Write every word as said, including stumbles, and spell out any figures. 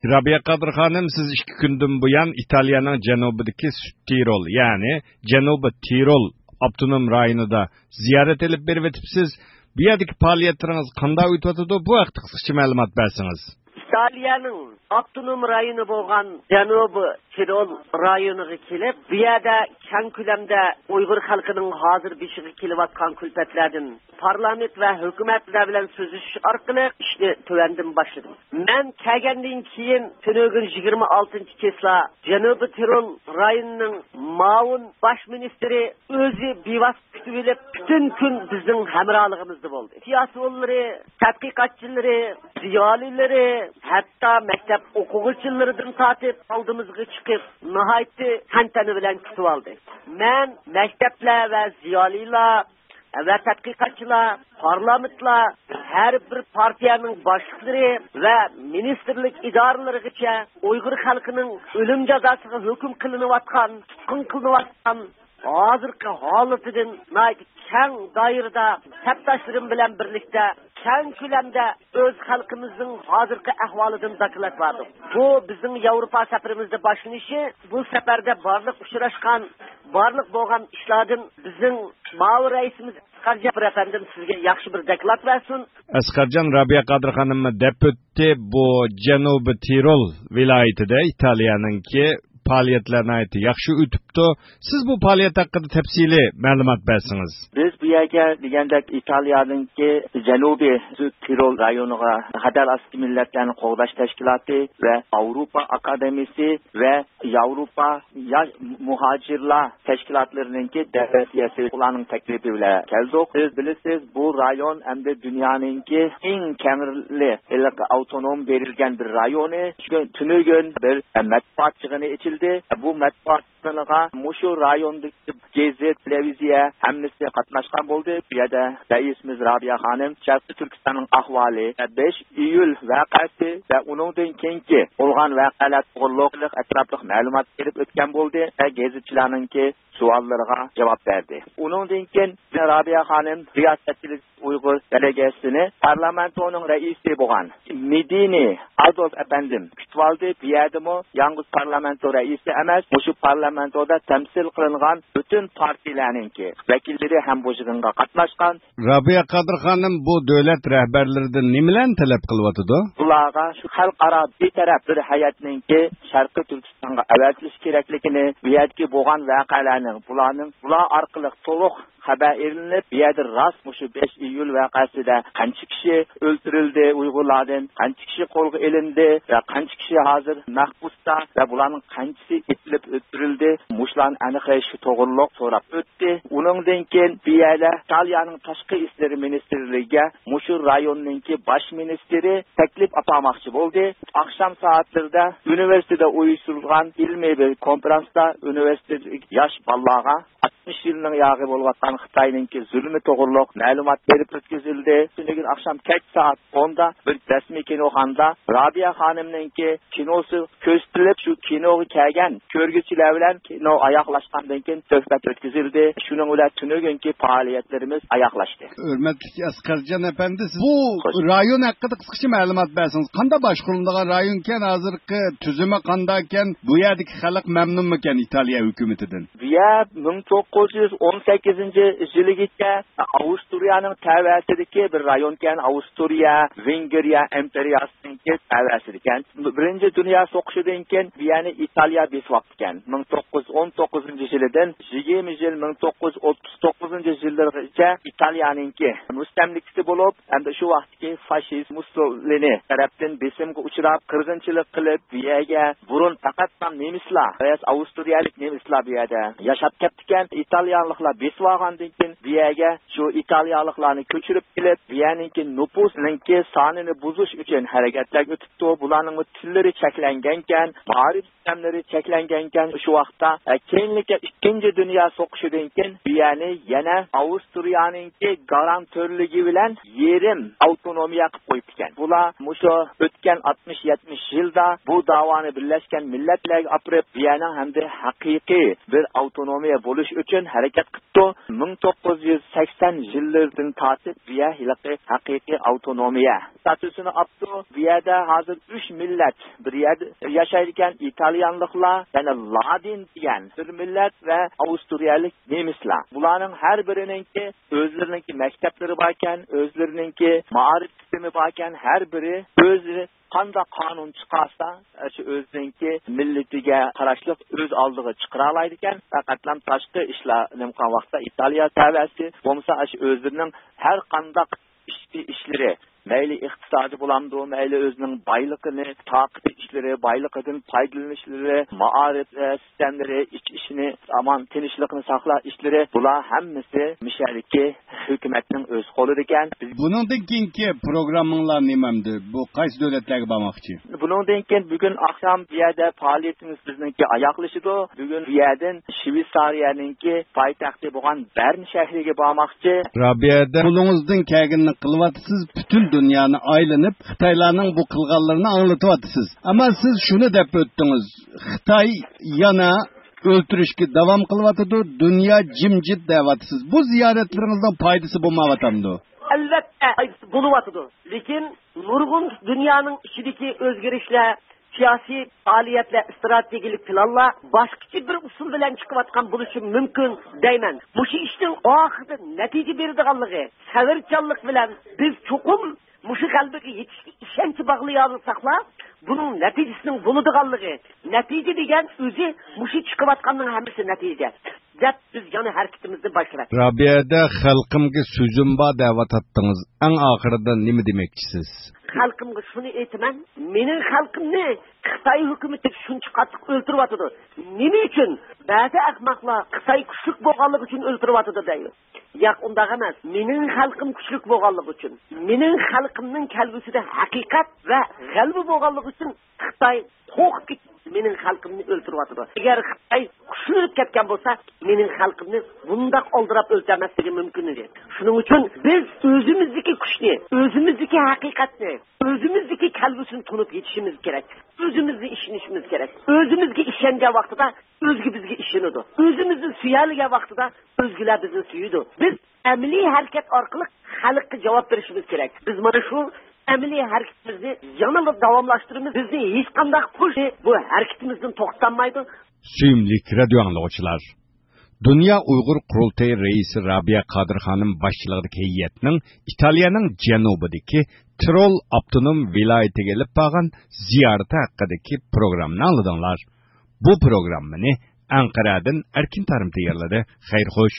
رابىيە قادىر خانىم، سىز ئىككى كۈندىن بۇيان ئىتالىيەنىڭ جەنۇبىدىكى سۈت تىرول، يەنى جەنۇبىي تىرول ئاپتونوم رايونىدا زىيارەت ئېلىپ بېرىۋېتىپسىز. بۇ يەردىكى پائالىيەتلىرىڭىز قانداق ئۆتۈۋاتىدۇ؟ بۇ ھەقتە قىسقىچە مەلۇمات بەرسىڭىز. ئىتالىيەنىڭ ئاپتونوم رايونى بولغان جەنۇبىي تىرول رايونىغا كېلىپ، بۇ يەردە كەڭ كۆلەمدە ئۇيغۇر خەلقىنىڭ ھازىر بېشىغا كېلىۋاتقان كۈلپەتلەردىن پارلامېنت ۋە ھۆكۈمەتلەر بىلەن سۆزلىشىش ئارقىلىق ئىشنى تۆۋەندىن باشلىدىم. مەن كەلگەندىن كېيىن تۈنۈگۈن يىگىرمە ئالتىنچى چىسلا جەنۇبىي تىرول رايونىنىڭ مۇئاۋىن باش مىنىستىرى ئۆزى بىۋاسىتە كۈتۈۋېلىپ، پۈتۈن كۈن بىزنىڭ ھەمراھلىقىمىزدا بولدى. سىياسىيونلىرى، تەتقىقاتچىلىرى، زىيالىيلىرى، ھەتتا مەكتەپ ئوقۇغۇچىلىرىدىن تارتىپ ئالدىمىزغا چىقىپ، ناھايىتى تەنتەنە بىلەن كۈتۈۋالدى. مەن مەكتەپلەر ۋە زىيالىيلار ۋە تەتقىقاتچىلار، پارلامېنتلار، ھەر بىر پارتىيەنىڭ باشلىقلىرى ۋە مىنىستىرلىك ئىدارىلىرىغىچە ئۇيغۇر خەلقىنىڭ ئۆلۈم جازاسىغا ھۆكۈم قىلىنىۋاتقان، تۇتقۇن قىلىنىۋاتقان ھازىرقى ھالىتىدىن ناھايىتى كەڭ دائىرىدە سەپداشلىرىم بىلەن بىرلىكتە كەڭ كۆلەمدە ئۆز خەلقىمىزنىڭ ھازىرقى ئەھۋالىدىن دوكلات بەردۇق. بۇ بىزنىڭ ياۋروپا سەپىرىمىزنىڭ باشلىنىشى. بۇ سەپەردە بارلىق ئۇچراشقان، بارلىق بولغان ئىشلاردىن بىزنىڭ مۇئاۋىن رەئىسىمىز ئەسقەرجان ئەپەندىم سىزگە ياخشى بىر دوكلات بەرسۇن. ئەسقەرجان، رابىيە قادىر خانىممۇ دەپ ئۆتتى، بۇ جەنۇبىي تىرول ۋىلايىتىدە ئىتالىيەنىڭكى پائالىيەتلەر ناھايىتى ياخشى ئۆتۈپتۇ. سىز بۇ پائالىيەت ھەققىدە تەپسىلىي مەلۇمات بەرسىڭىز. بىز بۇ يەرگە دېگەندەك ئىتالىيەنىڭكى جەنۇبىي تىرول رايونىغا خەتەر ئاستى مىللەتلەرنى قوغداش تەشكىلاتى ۋە ئاۋروپا ئاكادېمىيىسى ۋە ياۋروپا ياش مۇھاجىرلار تەشكىلاتلىرىنىڭكى دەۋەتىيەسى، ئۇلارنىڭ تەكلىپى بىلەن كەلدۇق. سىز بىلىسىز، بۇ رايون ئەمدى دۇنيانىڭكى ئەڭ كەڭرى ھېلىقى ئاپتونوم بېرىلگەن بىر رايونى. شۇ تۈنۈگۈن بىر مەتبۇئات يىغىنى ئېچىلدى. بۇ مەتبۇئات يىغىنىغا مۇشۇ رايوندىكى گېزىت، تېلېۋىزىيە ھەممىسى قاتناشقان بولدى. بۇ يەردە رەئىسىمىز رابىيە خانىم شەرقىي تۈركىستاننىڭ ئەھۋالى، بەش ئىيۇل ۋەقەسى ۋە ئۇنىڭدىن كېيىنكى بولغان ۋەقەلەر توغرۇلۇق ئەتراپلىق مەلۇمات بېرىپ ئۆتكەن بولدى ۋە گېزىتچىلەرنىڭكى سوئاللىرىغا جاۋاب بەردى. ئۇنىڭدىن كېيىن رابىيە خانىم رىياسەتچىلىك ئۇيغۇر دېلېگاتسىيىسىنى پارلامېنتونىڭ رەئىسى بولغان مېدىنى ئادولف ئەپەندىم كۈتۈۋالدى. بۇ يەردىمۇ يالغۇز پارلامېنتو رەئىسى ئەمەس، مۇشۇ پارلامېنتودا تەمسىل قىلىنغان پۈتۈن پارتىيەلەرنىڭكى ۋەكىللىرى ھەم بۇ يىغىنغا قاتناشقان. رابىيە قادىر خانىم بۇ دۆلەت رەھبەرلىرىدىن نېمىلەرنى تەلەپ قىلىۋاتىدۇ؟ بۇلارغا شۇ خەلقئارا بىتەرەپ بىر ھەيئەتنىڭكى شەرقىي تۈركىستانغا ئەۋەتىلىشى كېرەكلىكىنى، بۇ يەردىكى بولغان ۋەقەلەرنىڭ، بۇلارنىڭ، بۇلار ئارقىلىق تولۇق خەۋەر ئېلىنىپ، بۇ يەردە راست مۇشۇ بەش ئىيۇل ۋەقەسىدە قانچە كىشى ئۆلتۈرۈلدى ئۇيغۇرلاردىن، قانچە كىشى قولغا ئېلىندى ۋە قانچە كىشى ھازىر مەھبۇستا ۋە بۇلارنىڭ قانچىسى ئېتىلىپ ئۆلتۈرۈلدى، مۇشۇلارنى ئېنىقلاش توغرۇلۇق سوراپ ئۆتتى. ئۇنىڭدىن كېيىن بۇ يەردە ئىتالىيەنىڭ تاشقى ئىشلىرى مىنىستىرلىكىگە مۇشۇ رايوننىڭكى باش مىنىستىرى تەكلىپ ئاپارماقچى بولدى. ئاخشام سائەتلىرىدە ئۇنىۋېرسىتېتتا ئۇيۇشتۇرۇلغان ئىلمىي بىر كونفرانستا ئۇنىۋېرسىتېتتىكى ياش بالىلارغا ئاتمىش يىلنىڭ ياغى بولۇۋاتقان خىتاينىڭكى زۇلۇمى توغرۇلۇق مەلۇمات بېرىپ ئۆتكۈزۈلدى. شۇنىڭدىن كېيىن ئاخشام كەچ سائەت ئوندا بىر رەسمىي كىنوخانىدا رابىيە خانىمنىڭكى كىنوسى كۆرسىتىلىپ، شۇ كىنوغا كەلگەن كۆرگۈچىلەر بىلەن كىنو ئاياغلاشقاندىن كېيىن سۆھبەت ئۆتكۈزۈلدى. شۇنىڭ بىلەن تۈنۈگۈنكى پائالىيەتلىرىمىز ئاياغلاشتى. ھۆرمەتلىك ئەسقەرجان ئەپەندى، سىز بۇ خوش. رايون ھەققىدە قىسقىچە مەلۇمات بەرسىڭىز، قانداق باشقۇرۇلىدىغان رايونكەن، ھازىرقى تۈزۈمى قانداقكەن، بۇ يەردىكى خەلق مەمنۇنمىكەن ئىتالىيە ھۆكۈمىتىدىن؟ بۇ يەر مىڭ توققۇز يۈز ئون سەككىزىنچى يىلىگىچە ئاۋسترىيەنىڭ تەۋەسىدىكى بىر رايونكەن، ئاۋسترىيە، ۋېنگرىيە ئىمپېرىيەسىنىڭكى تەۋەسىدىكەن. بىرىنچى دۇنيا سوقۇشىدىن كېيىن بۇ يەرنى ئىتالىيە بېسىۋاپتىكەن. مىڭ توققۇز يۈز ئون توققۇزىنچى يىلىدىن يىگىرمە يىل، مىڭ توققۇز يۈز ئوتتۇز توققۇزىنچى يىللىرىغىچە ئىتالىيەنىڭكى مۇستەملىكىسى بولۇپ، ھەمدە شۇ ۋاقىتتىكى فاشىست مۇسسولىنى تەرەپتىن بېسىمغا ئۇچراپ، قىرغىنچىلىق قىلىپ، بۇ يەرگە بۇرۇن پەقەتلا نېمىسلار، ئاۋسترىيەلىك نېمىسلار بۇ يەردە ياشاپ كەپتىكەن. ئىتالىيانلىقلار بېسىۋالغاندىن كېيىن، بۇ يەرگە شۇ ئىتالىيانلىقلارنى كۆچۈرۈپ كېلىپ، بۇ يەرنىڭكى نوپۇسنىڭكى سانىنى بۇزۇش ئۈچۈن ھەرىكەتلەرگە ئۆتۈپتۇ. بۇلارنىڭمۇ تىللىرى چەكلەنگەنكەن، مائارىپ سىستېمىلىرى چەكلەنگەنكەن. شۇ ۋاقىتتا، ئە، كېيىنلىكى ئىككىنچى دۇنيا سوقۇشىدىن كېيىن بۇ يەرنى يەنە ئاۋسترىيەنىڭكى گارانتورلۇقى بىلەن يېرىم ئاپتونومىيە قىلىپ قويۇپتىكەن. بۇلار مۇشۇ ئۆتكەن ئاتمىش، يەتمىش يىلدا بۇ داۋانى بىرلەشكەن مىللەتلەرگە ئاپىرىپ، بۇ يەرنىڭ ھەمدە ھەقىقىي بىر ئاپتونومىيە بولۇش ئۈچۈن ھەرىكەت قىپتۇ. مىڭ توققۇز يۈز سەكسەن يىللىرىدىن تارتىپ بۇ يەر ھېلىقى ھەقىقىي ئاۋتونومىيە ستاتۇسىنى ئاپتۇ. بۇ يەردە ھازىر ئۈچ مىللەت بىر يەردە ياشايدىكەن. ئىتالىيانلىقلار، يەنى لادىن دېگەن بىر مىللەت ۋە ئاۋسترىيەلىك نېمىسلار. بۇلارنىڭ ھەر بىرىنىڭكى ئۆزلىرىنىڭكى مەكتەپلىرى باركەن، ئۆزلىرىنىڭكى مائارىپ سىستېمى باركەن، ھەر بىرى ئۆزى قانداق قانۇن چىقارسا، شۇ ئۆزىنىڭكى مىللىتىگە قاراشلىق ئۆز ئالدىغا چىقىرالايدىكەن. پەقەتلام تاشقى ئىشلار نېمە قىلغان ۋاقىتتا ئىتالىيا تەۋەسى بولمىسا، شۇ ئۆزلىرىنىڭ ھەر قانداق ئىچكى ئىشلىرى، مەيلى ئىقتىسادى بولامدۇ، مەيلى ئۆزىنىڭ بايلىقىنى، تاقىتى ئىشلىرى، بايلىقىدىن پايدىلىنىشلىرى، مائارىپ، ئە، سىستېمىلىرى، ئىچ ئىشىنى، ئامان تىنچلىقنى ساقلاش ئىشلىرى، بۇلار ھەممىسى مىشەدىكى ھۆكۈمەتنىڭ ئۆز قولىدىكەن. بىز بۇنىڭدىن كېيىنكى پروگراممىڭلار نېمەمدى؟ بۇ قايسى دۆلەتلەرگە بارماقچى؟ بۇنىڭدىن كېيىن بۈگۈن ئاخشام بۇ يەردە پائالىيىتىمىز بىزنىڭكى ئاياغلىشىدۇ. بۈگۈن بۇ يەردىن شىۋېتسارىيەنىڭكى پايتەختى بولغان بەرن شەھىرىگە بارماقچى. رابىيەدە قولىڭىزدىن كەلگىنىنى قىلىۋاتىسىز، پۈتۈن دۇنيانى ئايلىنىپ، خىتايلارنىڭ بۇ قىلغانلىرىنى ئاڭلىتىۋاتىسىز. ئەمما سىز شۇنى دەپ ئۆتتىڭىز، خىتاي يەنە ئۆلتۈرۈشكە داۋام قىلىۋاتىدۇ، دۇنيا جىمجىت دەۋاتىسىز. بۇ زىيارەتلىرىڭىزنىڭ پايدىسى بولمايۋاتامدۇ؟ ئەلۋەتتە، پايدىسى بولۇۋاتىدۇ. لېكىن نۇرغۇن دۇنيانىڭ ئىچىدىكى ئۆزگىرىشلەر، سىياسىي پائالىيەتلەر، ئىستراتېگىيەلىك پىلانلار باشقىچە بىر ئۇسۇل بىلەن چىقىۋاتقان بولۇشى مۇمكىن دەيمەن. مۇشۇ ئىشنىڭ ئاخىرىدا نەتىجە بېرىدىغانلىقى، سەۋرچانلىق بىلەن بىز چوقۇم مۇشۇ غەلىبىگە يېتىشكە ئىشەنچ باغلىيالىساقلا، بۇنىڭ نەتىجىسىنىڭ بولىدىغانلىقى، نەتىجە دېگەن ئۆزى مۇشۇ چىقىۋاتقاننىڭ ھەممىسى نەتىجە، دەپ بىز يەنە ھەرىكىتىمىزنى باشلاۋاتىمىز. رابىيەدە خەلقىمگە سۆزۈم بار دەۋاتاتتىڭىز. ئەڭ ئاخىرىدا نېمە دېمەكچىسىز؟ خەلقىمگە شۇنى ئېيتىمەن، مېنىڭ خەلقىمنى خىتاي ھۆكۈمىتى شۇنچە قاتتىق ئۆلتۈرۈۋاتىدۇ. نېمە ئۈچۈن؟ بەزى ئەخمەقلار خىتاي كۈچلۈك بولغانلىقى ئۈچۈن ئۆلتۈرۈۋاتىدۇ دەيدۇ. ياق، ئۇنداق ئەمەس. مېنىڭ خەلقىم كۈچلۈك بولغانلىقى ئۈچۈن، مېنىڭ خەلقىمنىڭ كەلگۈسىدە ھەقىقەت ۋە غەلىبە بولغانلىقى ئۈچۈن خىتاي قورقۇپ كېتىپ مېنىڭ خەلقىمنى ئۆلتۈرۈۋاتىدۇ. ئەگەر خىتاي كۈچلىنىپ كەتكەن بولسا، مېنىڭ خەلقىمنى بۇنداق ئالدىراپ ئۆلتۈرمەسلىكى مۇمكىن ئىدى. شۇنىڭ ئۈچۈن بىز ئۆزىمىزدىكى كۈچنى، ئۆزىمىزدىكى ھەقىقەتنى، ئۆزىمىزدىكى كەلگۈسىنى تونۇپ يېتىشىمىز كېرەك. ئۆزىمىزگە ئىشىنىشىمىز كېرەك. ئۆزىمىزگە ئىشەنگەن ۋاقتىدا ئۆزگە بىزگە ئىشىنىدۇ. ئۆزىمىزنى سۆيەلىگەن ۋاقتىدا ئۆزگىلەر بىزنى سۆيىدۇ. بىز ئەمەلىي ھەرىكەت ئارقىلىق خەلققە جاۋاب بېرىشىمىز كېرەك. بىز مانا شۇ ئەمەلىي ھەرىكىتىمىزنى يەنىلا داۋاملاشتۇرىمىز. بىزنى ھېچقانداق كۈچ بۇ ھەرىكىتىمىزدىن توختاتمايدۇ. سۆيۈملۈك رادىيو ئاڭلىغۇچىلار، دۇنيا ئۇيغۇر قۇرۇلتىيى رەئىسى رابىيە قادىر خانىم باشچىلىقىدىكى ھەيئەتنىڭ ئىتالىيەنىڭ جەنۇبىدىكى تىرول ئاپتونوم ۋىلايىتىگە ئېلىپ بارغان زىيارىتى ھەققىدىكى پروگراممىنى ئاڭلىدىڭلار. بۇ پروگراممىنى ئەنقەرەدىن ئەركىن تارىم تەييارلىدى. خەير خوش.